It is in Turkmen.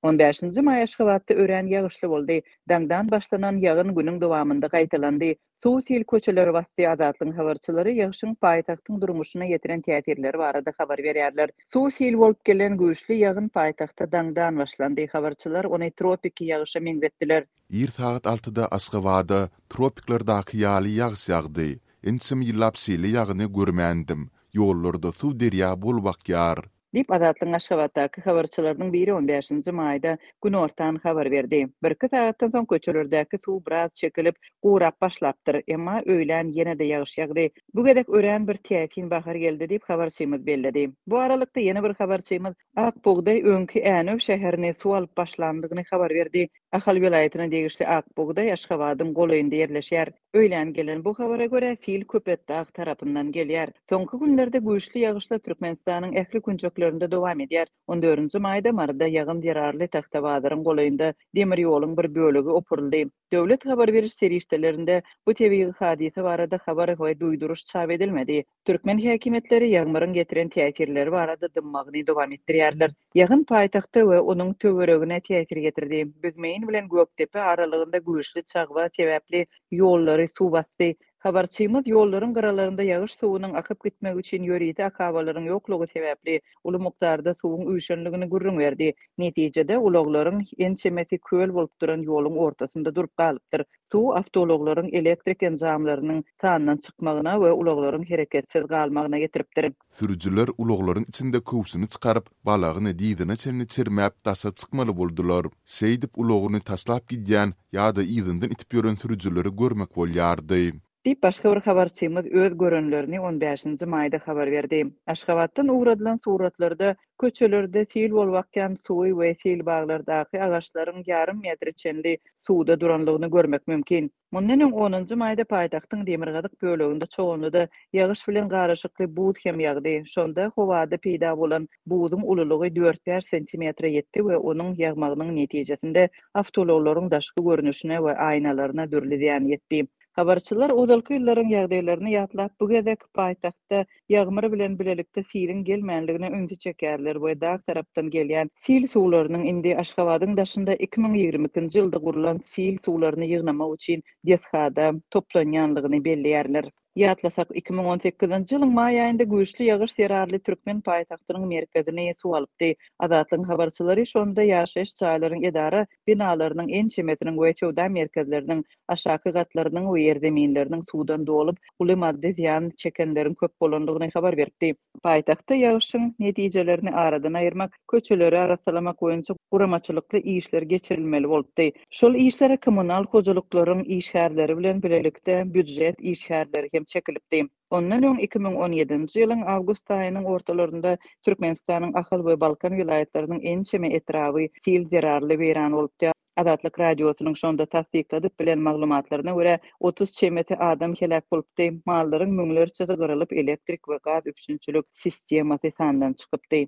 On bäşinji maý Aşgabatda örän ýagyşly boldy. Daňdan başlanan ýagyn günüň dowamynda gaýtalandy. Suw sil köçeleri basdy Azatlygyň habarçylary ýagşyň paýtagtyň durmuşyna ýetiren täsirleri barada habar berýärler. Suw sil bolup gelen güýçli ýagyn paýtagtda daňdan başlandy. Habarçylar ony tropiki ýagyşa meňzetdiler. Ir sagat altyda Aşgabada tropiklerdaky ýaly ýagyş ýagdy. Ençeme ýyllap şeýle ýagyny görmändim. Ýollarda suw derýa bolup akýar. Diýip, Azatlygyň Aşgabatdaky habarçylarynyň biri on bäşinji maýda günortan habar berdi. Birki sagatdan soň köçelerdäki suw biraz çekilip, gurap başlapdyr. Emma öýlän ýene-de ýagyş ýagdy. Bu gezek örän bir täsin bahar geldi diýip, habarçymyz belledi. Bu aralykda ýene bir habarçymyz Ak bugdaý öňki Änew şäherini suw alyp başlandygyny habar berdi. Ahal welaýatyna degişli Ak bugdaý Aşgabadyň golaýynda ýerleşýär. Öýlän gelen bu habara görä, sil Köpetdag tarapyndan gelýär. Soňky günlerde güýçli ýagyşlar Türkmenistanyň ähli künjeklerinde dowam edýär. On dördünji maýda Maryda ýagyn zerarly Tagtabazaryň golaýynda demir ýoluň bir bölegi opuryldy. Döwlet habar beriş serişdelerinde bu tebigy hadysa barada habar we duýduryş çap edilmedi. Türkmen häkimiýetleri ýagmyryň getiren täsirleri barada dymmagyny dowam etdirýärler. Ýagyn paýtagta we onuň töweregine täsir ýetirdi. Büzmeýin bilen Gökdepe aralygynda güýçli çagba sebäpli ýollary suw basdy. Habarçymyz ýollaryň gyralarynda ýagyş suwunyň akyp gitmegi üçin ýörite akabalaryň ýoklugy sebäpli uly mukdarda suwuň üýşenligini gürrüň berdi. Netijede, ulaglaryň ençemesi köl bolup duran ýoluň ortasynda durup galypdyr. Suw awtoulaglaryň elektrik enjamlarynyň sandan çykmagyna we ulaglaryň hereketsiz galmagyna getiripdir. Sürüjiler ulaglaryň içinde köwşüni çykaryp, balagyny dyzyna çenli çermäp daşa çykmaly boldular. Şeýdip ulagyny taşlap gidýän ýa-da yzyndan itip ýören sürüjileri görmek bolýardy. Diýip, başga bir habarçymyz öz görenlerini on bäşinji maýda habar berdi. Aşgabatdan ugradylan suratlarda köçelerde sil bolup akýan suwy we seýilbaglardaky agaçlaryň ýarym metre çenli suwda duranlygyny görmek mümkin. Mundan öň onunjy maýda paýtagtyň demirgazyk böleginde Çoganlyda ýagyş bilen garyşykly buz hem ýagdy. Şonda howada peýda bolan buzuň ululygy dört-bäş sentimetre ýetdi we onuň ýagmagynyň netijesinde awtoulaglaryň daşky görnüşine we aýnalaryna dürli zyýan ýetdi. Habarçylar ozalky ýyllaryň ýagdaýlaryny ýatlap, bu gezek paýtagtda ýagmyr bilen bilelikde siliň gelmänligine ünsi çekýärler we dag tarapdan gelýän sil suwlarynyň indi Aşgabadyň daşynda 2022-nji ýylda gurlan sil suwlaryny ýygnamak üçin desgada toplanýanlygyny belleýärler. Ýatlasak, 2018-nji ýylyň maý aýynda güýçli ýagyş zerarly türkmen paýtagtynyň merkezini suw alypdy. Azatlygyň habarçylary şonda ýaşaýyş jaýlaryň edara binalarynyň ençemesiniň we söwda merkezleriniň aşaky gatlarynyň we ýerzeminleriniň suwdan dolup, uly maddy zyýan çekenleriň köp bolandygyny habar beripdi. Paýtagtda ýagyşyň netijelerini aradan aýyrmak, köçeleri arassalamak boýunça guramaçylykly işler geçirilmeli bolupdy. Şol işlere kommunal hojalyklaryň işgärleri bilen bilelikde býujet işgärleri hem çekilipdi. Ondan öň 2017-nji ýylyň awgust aýynyň ortalarynda Türkmenistanyň Ahal we Balkan welaýatlarynyň ençeme etraby sil zerarly weýran bolupdy. Azatlyk Radiosynyň şonda tassykladyp bilen maglumatlaryna görä, 30 çemesi adam heläk bolupdy, mallaryň müňlerçesi gyrylyp, elektrik we gaz üpjünçilik sistemasy sandan çykypdy.